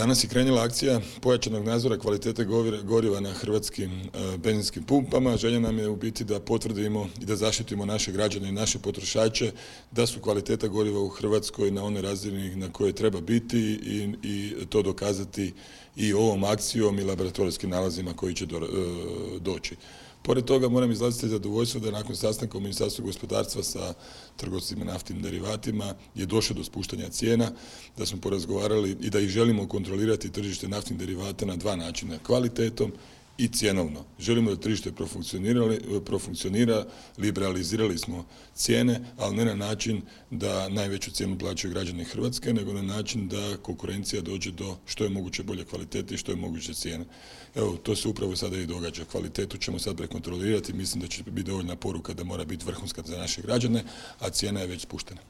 Danas je krenula akcija pojačanog nadzora kvalitete goriva na hrvatskim benzinskim pumpama. Želja nam je u biti da potvrdimo i da zaštitimo naše građane i naše potrošače da su kvaliteta goriva u Hrvatskoj na onoj razini na kojoj treba biti i to dokazati i ovom akcijom i laboratorijskim nalazima koji će doći. Pored toga moram izraziti zadovoljstvo da nakon sastanka u Ministarstvu gospodarstva sa trgovcima naftnim derivatima je došlo do spuštanja cijena, da smo porazgovarali i da ih želimo kontrolirati tržište naftnih derivata na dva načina, kvalitetom i cjenovno. Želimo da tržište profunkcionira, liberalizirali smo cijene, ali ne na način da najveću cijenu plaćaju građani Hrvatske, nego na način da konkurencija dođe do što je moguće bolje kvalitete i što je moguće cijene. Evo, to se upravo sada i događa. Kvalitetu ćemo sad prekontrolirati, mislim da će biti dovoljna poruka da mora biti vrhunska za naše građane, a cijena je već spuštena.